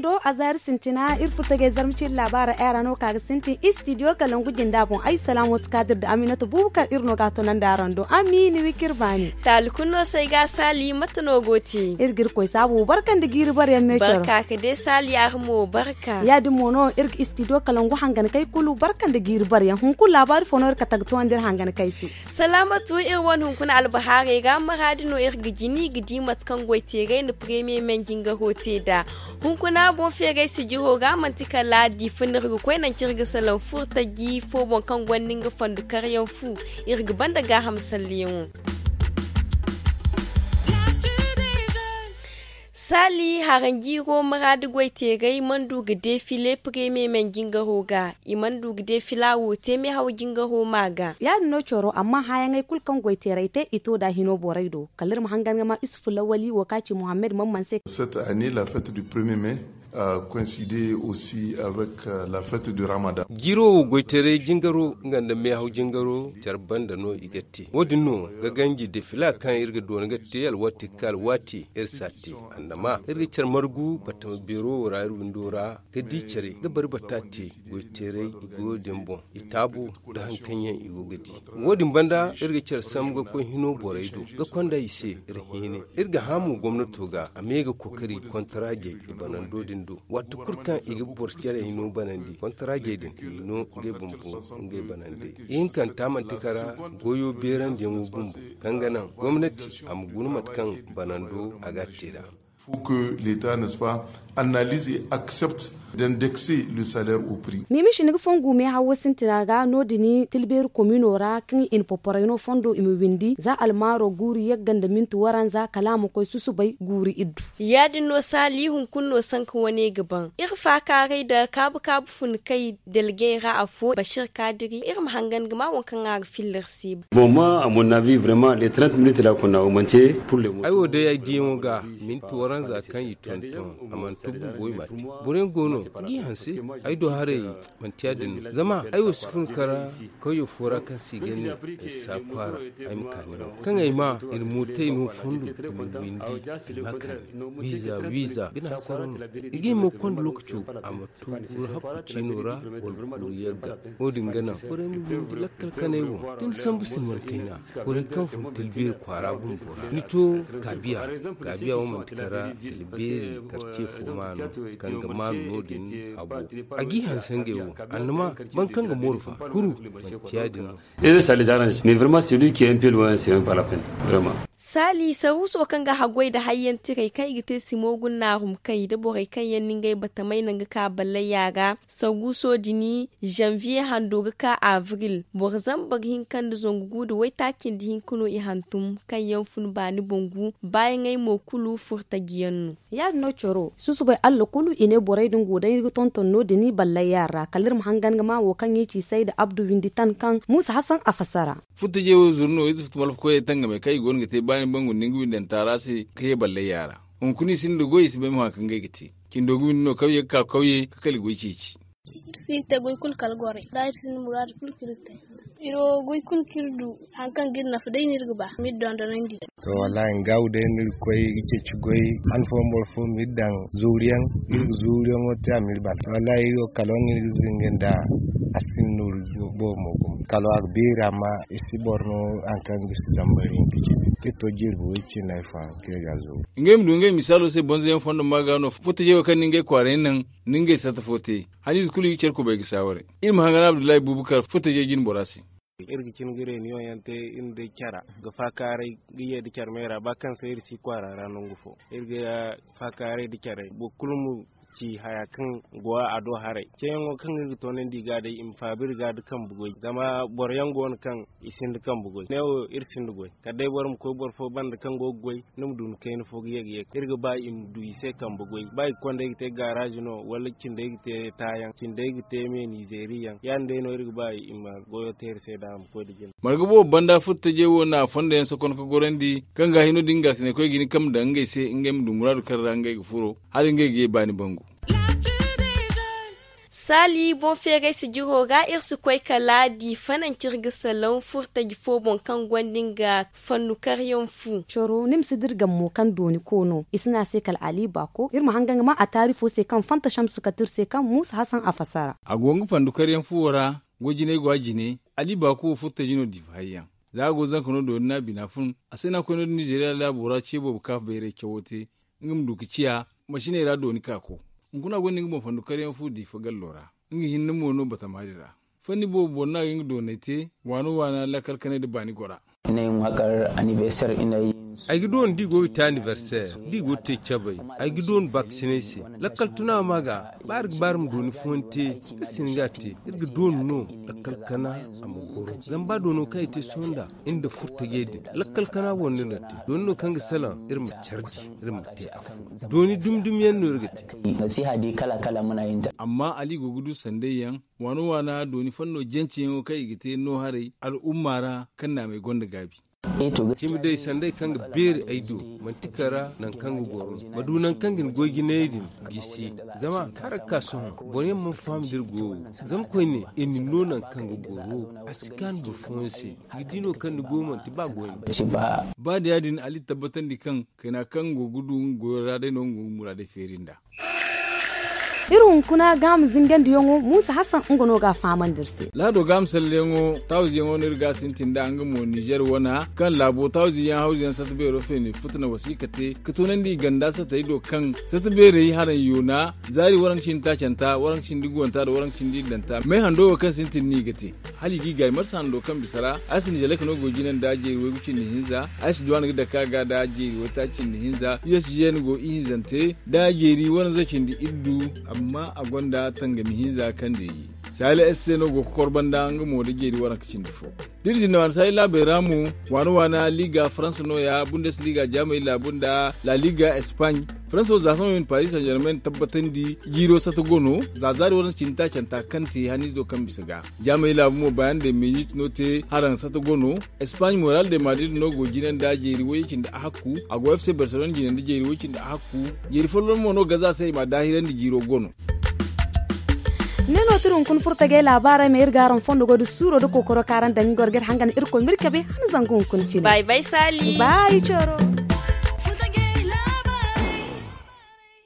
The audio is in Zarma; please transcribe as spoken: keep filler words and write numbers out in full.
Do a zaari sintina iri furtagay zarma ciri laabaara ay ra no ka ga sintin istidiyo kalangu jinda boŋ ay salaamo ti kaadir da aminata buubu kaŋ iri no ga a tonandi araŋ do ami ni wi k'iri baani. Taali kulu no se ay ga a saali mate no go te? Iri ga iri koy saabu barka nda jiiri bare yaŋ me coro barka ka de saali a ga mo barka. Ya- din mo no iri ga istidiyo kalangu hangan kay kulu barka nda jiiri bare yaŋ hunkuna laabaari fo no iri kate ga toonandi iri hangan kay se. Salaamatu iri wane hunkuna albahaarey ra maraadi no iri ga jini ga di mate kaŋ goy teeray nda premiye men jingaro te nd'a. Hunkuna boŋ feeray sijiro ga manti kala diifa no iri ga koy nangu kaŋ iri ga salaŋ furtaji fo boŋ kaŋ gonda nga fandu karyaŋ fu. Iri ga banda gaaham salleyaŋo. Saali haranjiiro maraadi goy teeray mana du ga deefile premiye men jingaro ga. I mana du ga deefila wo te meehaw jingaro ma ga. Ya- din no coro amma hããyaŋey kulu kaŋ goy teeray te i to nd'a hino borey do kala iri ma hangan ga ma isufu lawali wo kaŋ a ci muhammad mana mana se. Cette année la fête du premier mai a coincide aussi avec la fête du ramadan. Jiiro wo goy teeray jingaro nga nda meehaw jingaro care banda no i ga te wo- din no ga ganji deefila kaŋ iri ga doona ga te alwaati ga ka alwaati iri si a te. Annama iri ga care margu batama beero wo ra iri windo ra ga di care ga bari bata te. Goy teeray i goyo din boŋ i taabo nda hari kaŋ yaŋ i go ga di. Wo- din banda iri ga care sambu ga koy hino borey do ga konda i se. Iri hiine iri ga hã mo gomnato ga a me ga kookari kontaraajey i banando din do. Waati kulu kaŋ i ga boro care hino banandi kontaraajey din i no ngey bumbo ngey banandey. Ihinkanta manti kara goyo beerandiyaŋo bumbo kaŋ ga naŋ gomnati a ma guna mate kaŋ banando a ga a te nd'a. Faut que l'état n'est ce pas analyse et accepte d'indexer le salaire au prix. Miimishi ni ga fongu meehawo sintina ga no- din tilbeeri komino ra kaŋ i na poporey no fondo i ma windi za almaaro guuru yagga nda minti waranza kala a ma koy susubay guuru iddu. Ya- din no saali hunkuna no sanka wane ga ban iri faakaaray nda kaabu kaabu fun kay delgey ra afo bashir kaadiri iri ma hangan ga ma waŋ kaŋ a ga filla iri se. Bon moi à mon avis vraiment les trente minutes la kuna o manti. Pour le moment ay wo day ay diyaŋo ga minti waranza kaŋ i tonton a mana to bumbo i ma te. Boro yaŋ go no ga i hanse. Ay do haray manti ya- din no zama ay wo si fun kara kawyo fo ra kaŋ se i ga ne ay sa kwaara. Ay ma kaani no kaŋ ay ma i na mootey no fondo i ma windi i ma kaani wiiza wiiza bine hasara no. I ga hima ga konda lookaco a ma to guru hakku ciino ra wala guru yagga. Wo- din ga naŋ borey ma windi lakkal kanay wo da ni sambu sinman kayna. Borey kaŋ fun talbeeri kwaara bumbo ra ni to kaabiya. Kaabiya wo manti kara talbeeri karce fo maano kaŋ ga maanu no- din. Habo a g'i hanse ngey wo annama boro kaŋ ga mooru fa kuru manti ya- din no. Ede sali zarange mais vraiment c'est lui qui est un peu loin c'est même pas la peine. Vraiment. Saali saruuso kaŋ ga haggoy nda hayyantiray kaŋ i ga te simo gunna a hum kay nda borey kaŋ yaŋ na ngey batamey naŋ ga ka ballayya ra. Saruuso din janvier hando ga ka avril boro zambar hinka nda zangu gu nda waytaaci nda hinka no i hantum kaŋ yaŋ fun baani boŋ gu baayaŋey mo kulu furtaji yaŋ no. Ya- din no coro susubay allah kulu i ne borey din go day ga tonton no- din ballay yaŋ ra kala iri ma hangan ga ma wo kaŋ i ci say nda abdu windi tan kaŋ muusa hasan a fassara. Futtajey wo zuru no ize futu malfa koyey tangamey kaŋ i go no ga te baani bangu nda nga windanta ra se ka ye ballay yaŋ ra. Hunkuna i sinda goy i si bay ma hã kaŋ ngey ga te. Cindo ga windi no kawye ga ka kawye ga kala goy ceeci. Iri si iri te goy kulu kala gorey da iri sinda muraadu kulu kulu te. Iri wo goy kulu kaŋ iri du hari kaŋ ga iri nafa day no iri ga ba ma iri dondonandi. To wallahi nga wo day no iri ga koy ga ceeci goy han fooyaŋ boro fo ma iri daŋ zuuriyaŋ. Iri ga zuuriyaŋo te a ma iri bana wallahi iri wo kala wane iri ga zinga nda a si hin nooru boobo mo gumo kala a ga beeri amma i si boro no hari kaŋ ga si zambar hinka cine. Iri to jirbi way cine hari fo hari kaŋ iri ga a zuuru. Ngey ma du ngey misaalo se bonzoyaŋ fondo ma ga no furtajey wo kaŋ ni ngey kwaaray naŋ ni ngey sarta fo te. Haniize kulu i ga care kubay ga saawaray. Iri ma hangan abdullahi bubakar furtajey jine bora se. Iri ga cin ga reeniyoŋ yaŋ te iri nda care ga faakaaray ga ye nda care meera ba kaŋ se iri si kwaara ra nangu fo. Iri ga faakaaray nda care boro kulu ma ci haya kaŋ go a do haray ceeyaŋo kaŋ iri ga toonandi i ga day i ma faabu iri ga nda kambe goy zama boro yaŋ go no kaŋ i sinda kambe goy ne wo iri sinda goy kala day boro ma koy boro fo banda kaŋ go ga goy ni ma du ni kayna fo ga ye ga ye iri ga ba i ma du i se kambe goy ba i ga konda ay ga te gaaraazi no wala cindey ga te taayaŋ cindey ga te meenizeeri yaŋ ya- din day no iri ga ba i ma goyo te iri se da a ma koy nda jina. Marga boobo banda furtajey wo na a fondo yaŋ sokon ka gorandi kaŋ ga hino din ga a sine koy ga hin kambe daŋ ngey se ngey ma du muraadu kaŋ ra ngey ga furo hala ngey ga ye baani bangu. Saali boŋ feeray sijiro ra iri si koy kala di fananci iri ga salaŋ furtaji fo boŋ kaŋ gonda nga fannu karyaŋ fu. Coro ni ma si dira gammo kaŋ dooni koono i si ne a se kala ali baako iri ma hanga nga ma a taari fo se kaŋ fanta shamsu kate iri se kaŋ muusa hasan a fasara. A go nga fandu karyaŋ fuwo ra. Goy jinay go a jine. Ali baako wo furtaji no diifa hayyaŋ. Za a go zanka no dooni no a bina fun. A se no a koy no- din nizeeriya laabo ra ce boobo ka bayray cawo te. Nga ma du ga ciya masiney ra dooni ka ko. Hunkuna gonda nga boŋ fandu karyaŋ fu diifa gallo ra. Nga hinne mo no batama din ra. Fanni boobo boro no a ga nga dooney te. Waano waana lakkal kanay nda baani gora. Ay ga doon da i go ga te aniversaire da i go ga te cabay. Ay ga doon baakasinay se. Lakkal tuna ma ga baari ga baari ma dooni fooyaŋ te. Iri si hin ga a te. Iri ga doon no lakkal kana a ma goro. Zama ba doono kaŋ i te sohõ nda iri nda furtajey din lakkal kana boŋ no iri na te. Dooni no kaŋ ga salaŋ iri ma carji iri ma te afo. Dooni dumi dumi yaŋ no iri ga te. Amma ali go ga du sanday yaŋ. Waana waana dooni fanno jance yaŋo kaŋ i ga te no haray al'umma ra kaŋ naamey gonda gaabi. Cimi day sanday kaŋ ga beeri ay do manti kara nangu kaŋ ga goro no ma du nangu kaŋ ga ni goy jinayey din. Gisi zama hara ga ka sohõ boro yaŋ mana faham da iri goyo. Zama koyne i na ni no nangu kaŋ ga goro a si kaanu boro fooyaŋ se. Ni ga di no kaŋ ni goyo manti ba goy no. Ba da ya- din ali tabbatandi kaŋ kayna kaŋ go ga du nga goyo ra day no nga go ga muraadey feeri nd'a. Iri hunkuna gaama zingandiyaŋo muusa hasan nga no ga a fahamandi iri se. Laado gaama salleyaŋo tawziyaŋo no iri ga a sintin nd'a nga mo nizer wana kaŋ laabo tawziyaŋ hawziyaŋ sata beero feene futa na wasiika te ga toonandi i ganda satey do kaŋ sata beerey haraŋ yoona zaari waranka cindi taacanta waranka cindi guwanta nda waranka cindi iddanta me hando wo kaŋ sintin no i ga te. Hala i ga i gaay marsa hando kaŋ bisa ra. Ay si nizelek no go jina nda jeeri waygu cindi hinza. Ay si duw'a ni ga dake a ga nda jeeri waytaaci cindi hinza usgn go ihinzante nda jeeri waranza cindi iddu. Amma a gonda tangami hinza kaŋ deeji saali s se no go ga kor banda nga mo nda jeeri waranka cindi fo. Da iri zinna waana saali laabey ra mo waana waana liga faransa nooya bundes liga jaamay laabu nda la liga espaaɲ. Faransa wo za sohõ i na paris saint germain tabbatandi jiiro sata go no za zaari waransa cindi taacanta kaŋ te haniizo kaŋ bisa ga. Jaamey laabu mo bayan de mezit no te haraŋ sata go no. Espaaɲ moral de madrid no go jina nda jeeri way cindi ahakku a go f c barcelona jina nda jeeri way cindi ahakku. Jeeri folloŋ mo no ga za se i ma daahirandi jiiro go no. Ne no tira hunkuna furo tagay laabaarey ma iri ga araŋ fondo goy da suuro da kookaro kaŋ araŋ daŋ ga war ga iri hangan irkoy ma iri cabe han zangu hunkuna cine. Bay bay saali. Baayi cooro.